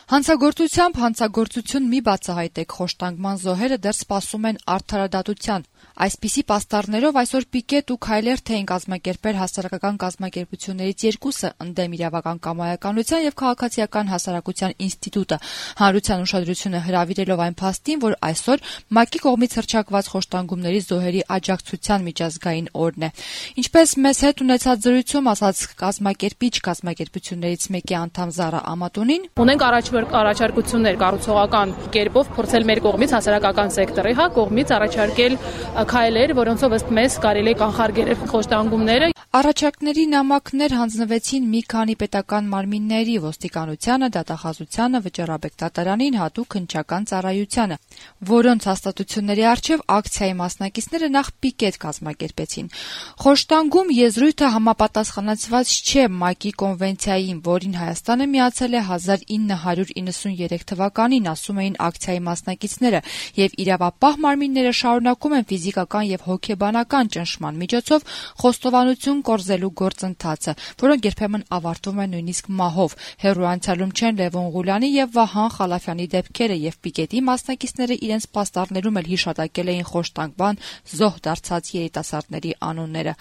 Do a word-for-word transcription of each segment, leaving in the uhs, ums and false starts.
Հանցագործությամբ հանցագործություն մի բացահայտեք խոշտանգման զոհերը դեռ սպասում են արդարադատության։ Այսպիսի պաստառներով այսօր Պիկետ ու Քայլեր թեին կազմակերպել հասարակական կազմակերպություններից երկուսը՝ ընդդեմ իրավական կամայականության եւ քաղաքացիական հասարակության ինստիտուտը, հանրության ուշադրությունը հրավիրելով այն փաստին, որ այսօր ՄԱԿ-ի կողմից հռչակված խոշտանգումների զոհերի աջակցության միջազգային օրն է։ Ինչպես մեզ հետ ունեցած զրույցում ասաց կազմակերպիչ կազմակերպություններից մեկի անդամ Զարա Ամատունին, ունենք առաջարկություններ կառուցողական կերպով փորձել մեր կողմից հասարակական սեկտորի հա կողմից առաջարկել քայլեր, որոնցով ըստ մեզ կարելի է կանխարգելել խոշտանգումները։ Առաջարկների նամակներ հանձնվեցին մի քանի պետական մարմինների՝ ոստիկանությանը, դատախազությանը, վճռաբեկտատարանին, հատուկ հնչական ծառայությանը, որոնց հաստատությունների առջև ակցիայի մասնակիցները նախ պիկետ կազմակերպեցին։ Խոշտանգում եզրույթը համապատասխանեցված չէ ՄԱԿ-ի կոնվենցիային, որին Հայաստանը միացել է հազար ինը հարյուր իննսուներեք թվականին, ասում էին ակցիայի մասնակիցները, եւ իրավապահ մարմինները շարունակում են ֆիզիկական եւ հոգեբանական ճնշման միջոցով խոստովանություն կորզելու գործընթացը, որոնք երբեմն ավարտվում են նույնիսկ մահով։ Հեռու անցյալում չեն Լևոն Ղուլյանի եւ Վահան Խալաֆյանի դեպքերը, եւ պիկետի մասնակիցները իրենց պաստառներում էլ հիշատակել էին խոշտանգման զոհ դարձած երիտասարդների անունները։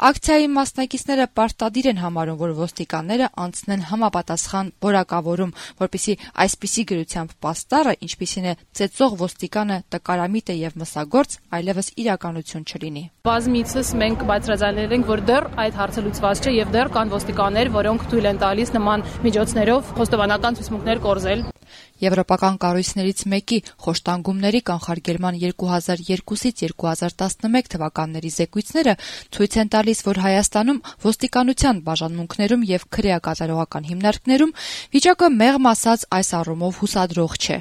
Ակցիայի մասնակիցները պարտադիր են համարում, որ ոստիկանները անցնեն համապատասխան որակավորում, որպեսզի այսպիսի գրությամբ պաստառը, ինչպիսին է ծեծող ոստիկանը, տկարամիտ է եւ մսագործ, այլևս իրականություն չլինի։ Բազմիցս մենք բացրացնել ենք, որ դեռ այդ հարցը լուծված չէ եւ դեռ կան ոստիկաններ, որոնք թույլ են տալիս նման միջոցներով խոստովանական ցուցմունքներ կորզել։ Եվրոպական կառույցներից մեկի խոշտանգումների կանխարգելման երկու հազար երկուսից երկու հազար տասնմեկ թվականների զեկույցները ցույց են տալիս, որ Հայաստանում ոստիկանության բաժանմունքներում եւ քրեակատարողական հիմնարկներում վիճակը մեղմ ասած այս առումով հուսադրող չէ։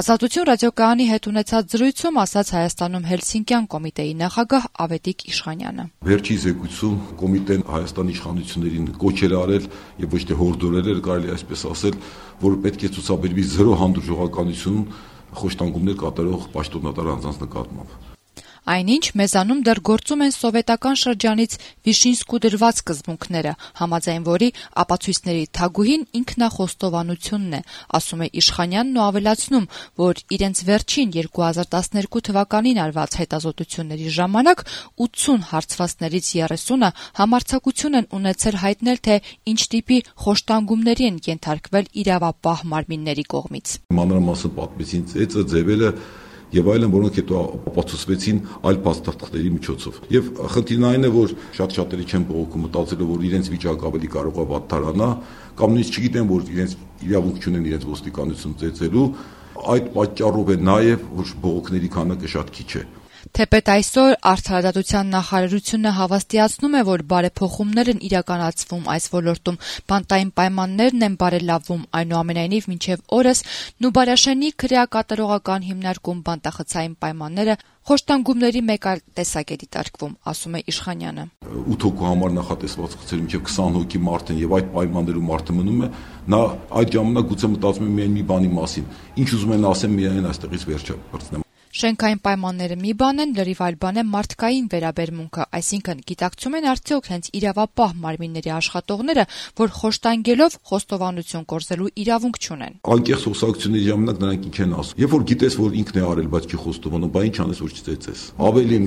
Ազատություն ռադիոկայանի հետ ունեցած զրույցում ասաց Հայաստանում Հելսինկյան կոմիտեի նախագահ Ավետիք Իշխանյանը։ Վերջի զեկույցում կոմիտեն Հայաստանի իշխանություններին կոչել արել եւ ոչ թե հորդորել էր, կարելի այսպես ասել, որ պետք է ցուցաբերվի զրո հանդուրժողականություն խոշտանգումներ կատարող պաշտոնատար անձանց նկատմամբ։ Այնինչ մեզանում դեռ գործում են սովետական շրջանից Վիշինսկու դրված սկզբունքները, համաձայն որի ապացույցների թագուհին ինքնախոստովանությունն է, ասում է Իշխանյանն ու ավելացնում, որ իրենց վերջին երկու հազար տասներկու թվականին արված հետազոտությունների ժամանակ ութսուն հարցվածներից երեսունը համարձակություն են ունեցել հայտնել, թե ինչ տիպի խոշտանգումների են ենթարկվել իրավապահ մարմինների կողմից։ Մանրամասն պատմեցին ծեծը, ձևերը եւ այլն, որոնք հետո ապացուցվեցին այլ փաստաթղթերի միջոցով։ Եվ խնդիրն այն է, որ շատ-շատերի չեն բողոքում, մտածելով, որ իրենց վիճակը ավելի կարող է վատթարանա, կամ նույնիսկ չգիտեն, որ իրենց իրավունք չունեն իրենց ոստիկանություն ծեծելու, այդ պատճառով է նաեւ, որ բողոքների քանակը շատ քիչ է։ Թեպետ այսօր արդարադատության նախարարությունը հավաստիացնում է, որ բարեփոխումներ են իրականացվում այս ոլորտում, բանտային պայմաններն են բարելավվում, այնուամենայնիվ մինչև օրս Նուբարաշենի քրեակատարողական հիմնարկում բանտախցային պայմանները խոշտանգումների մեկ այլ տեսակ է դիտարկվում, ասում է Իշխանյանը։ ութ հոգու համար նախատեսված խցեր մինչև քսան հոգի մարդ են եւ այդ պայմաններում մարդը մնում է, նա այդ ժամանակ գուցե մտածում է միայն մի բանի մասին, ինչ ուզում են ասեմ միայն այստեղից վերջը բրցնեմ։ Շենքային պայմանները մի բան են, լրիվ այլ բան է մարդկային վերաբերմունքը, այսինքն գիտակցում են արդյոք հենց իրավապահ մարմինների աշխատողները, որ խոշտանգելով խոստովանություն կորզելու իրավունք չունեն։ Անկեղծ խոսակցությունների ժամանակ նրանք ինչ են ասում։ Երբ որ գիտես, որ ինքն է արել, բայց չի խոստովանում, բա ինչ անես, որ չծեծես։ Ավելին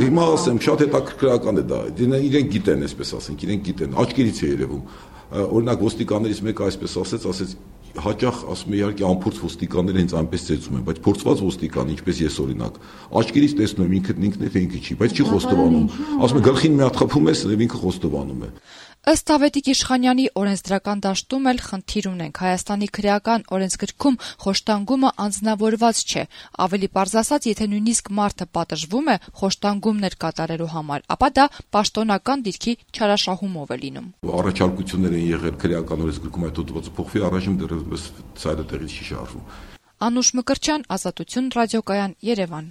հիմա ասեմ, շատ հետաքրքրական է դա։ Իրենք գիտեն, այսպես ասենք, իրենք գիտեն, աչքերից է երևում։ Օրինակ ոստիկաններից մեկը այսպես ասեց, ասեց հաճախ ասում է իհարկե անփորձ ոստիկանները հենց այնպես ծեծում են, բայց փորձված ոստիկան, ինչպես ես օրինակ, աչքերից տեսնում եմ ինքն ինքն է թե ինքը չի, բայց չի խոստովանում։ Ասում է գլխին մի հատ խփում ես եւ ինքը խոստովանում է։ Ըստ Ավետիք Իշխանյանի օրենսդրական դաշտում էլ խնդիր ունենք։ Հայաստանի քրեական օրենսգրքում խոշտանգումը անձնավորված չէ։ Ավելի պարզ ասած, եթե նույնիսկ մարդը պատժվում է խոշտանգումներ կատարելու համար, ապա դա պաշտոնական դիրքի չարաշահումով է լինում։ Առաջարկություններ են եղել քրեական օրենսգրքում այդ հոդվածը փոխվի, առայժմ դեռևս ցայլը տեղից չի շարժվում։ Անուշ Մկրտչյան, Ազատություն ռադիոկայան, Երևան։